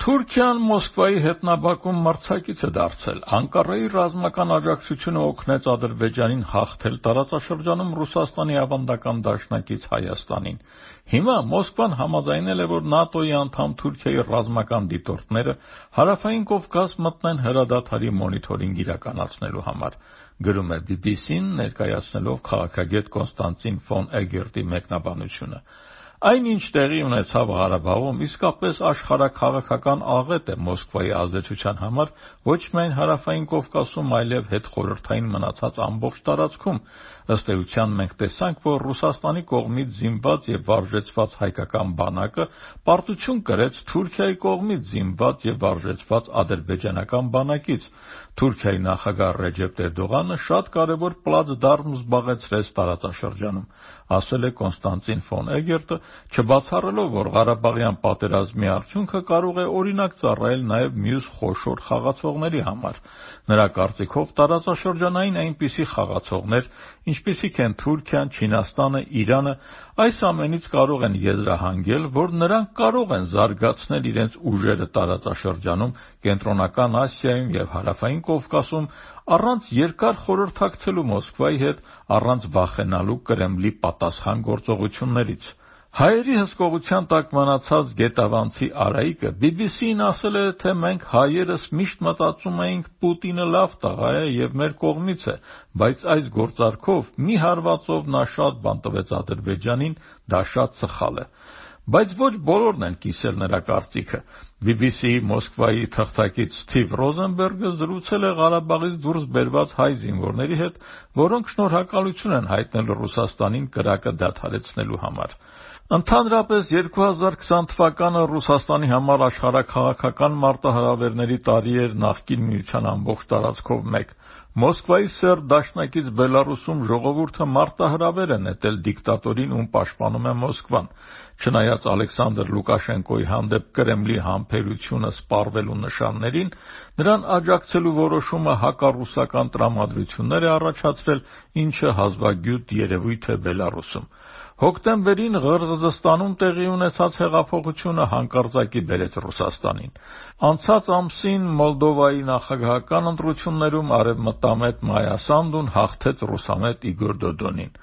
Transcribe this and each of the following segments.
Թուրքիան Մոսկվայի հետ նավակում մրցակից է դարձել։ Անկարայի ռազմական աջակցությունը օգնեց Ադրբեջանին հաղթել տարածաշրջանում Ռուսաստանի ավանդական դաշնակից Հայաստանին։ Հիմա Մոսկվան համաձայնել է, որ ՆԱՏՕ-ի անդամ Թուրքիայի ռազմական դիտորդները Հարավային Կովկաս մտնեն հրադադարի մոնիթորինգ իրականացնելու համար, գրում է BBC-ն, ներկայացնելով քաղաքագետ Կոնստանտին ֆոն Էգերտի մեկնաբանությունը։ Այն, ինչ տեղի ունեցավ Ղարաբաղում, իսկապես աշխարհաքաղաքական աղետ է Մոսկվայի ազդեցության համար ոչ միայն Հարավային Կովկասում, այլև հետխորհրդային մնացած ամբողջ տարածքում։ Ըստ էության մենք տեսանք, որ Ռուսաստանի կողմից զինված եւ վարժեցված հայկական բանակը պարտություն կրեց Թուրքիայի կողմից զինված եւ վարժեցված ադրբեջանական բանակից։ Թուրքիայի նախագահ Ռեջեփ Էրդողանը շատ կարևոր պլացդարմ զբաղեցրեց տարածաշրջանում, ասել է Կոնստանտին ֆոն Էգերտը, չբացառելով, որ Ղարաբաղյան պատերազմի արդյունքը կարող է օրինակ ծառայել նաև մյուս խոշոր խաղացողների համար։ Նրա կարծիքով տարածաշրջանային այնպիսի խաղացողներ, ինչպիսիք են Թուրքիան, Չինաստանը, Իրանը, այս ամենից կարող են եզրահանգել, որ նրանք կարող են զարգացնել իրենց ուժերը տարածաշրջանում, Կենտրոնական Ասիայում եւ Հարավային Կովկասում առանց երկար խորհրդակցելու Մոսկվայի հետ, առանց վախենալու Կրեմլի պատասխան գործողություններից։ Հայերի հսկողության տակ մնացած գետավանցի Արայիկը BBC-ին ասել է, թե մենք հայերս միշտ մտածում էինք Պուտինը լավ տղա է եւ մեր կողմից է, բայց այս գործարքով մի հարվածով նա շատ բան տվեց Ադրբեջանին, դա շատ սխալ է։ Բայց ոչ բոլորն են կիսել նրա կարծիքը։ BBC-ի Մոսկվայի թղթակից Սթիվ Ռոզենբերգը զրուցել է Ղարաբաղից դուրս բերված հայ զինվորների հետ, որոնք շնորհակալություն են հայտնել Ռուսաստանին կրակը դադարեցնելու համար։ Ընդհանրապես 2020 թվականը Ռուսաստանի համար աշխարհաքաղաքական մարտահրավերների տարի էր նախկին միության ամբողջ տարածքով մեկ։ Մոսկվայի սերտ դաշնակից Բելարուսում ժողովուրդը մարտահրավեր է նետել դիկտատորին, ում պաշտպանում է Մոսկվան։ Չնայած Ալեքսանդր Լուկաշենկոյի հանդեպ Կրեմլի համբերությունը սպառվելու նշաններին, նրան աջակցելու որոշումը հակառուսական տրամադրություններ է առաջացրել, ինչը հազվագյուտ երևույթ է Բելարուսում։ Հոկտեմբերին Ղրղզստանում տեղի ունեցած հեղափոխությունը հանկարծակի բերեց Ռուսաստանին։ Անցած ամսին Մոլդովայի նախագահական ընտրություններում արևմտամետ Մայա Սանդուն հաղթեց ռուսամետ Իգոր Դոդոնին։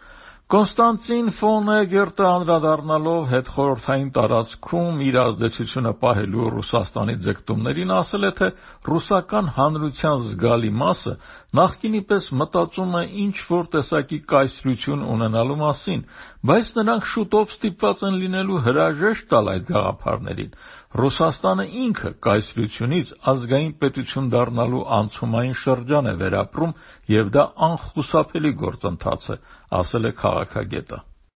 Կոնստանտին ֆոն Էգերտը անդրադառնալով հետխորհրդային տարածքում իր ազդեցությունը պահելու Ռուսաստանի ձգտումներին ասել է, թե ռուսական հանրության զգալի մասը նախկինի պես մտածում է ինչ-որ տեսակի կայսրություն ունենալու մասին, բայց նրանք շուտով ստիպված են լինելու հրաժեշտ տալ այդ գաղափարներին։ Ռուսաստանը ինքը կայսրությունից ազգային պետություն դառնալու անցումային շրջան է վերապրում, եւ դա անխուսափելի գործընթաց է, ասել է քաղաքագետը։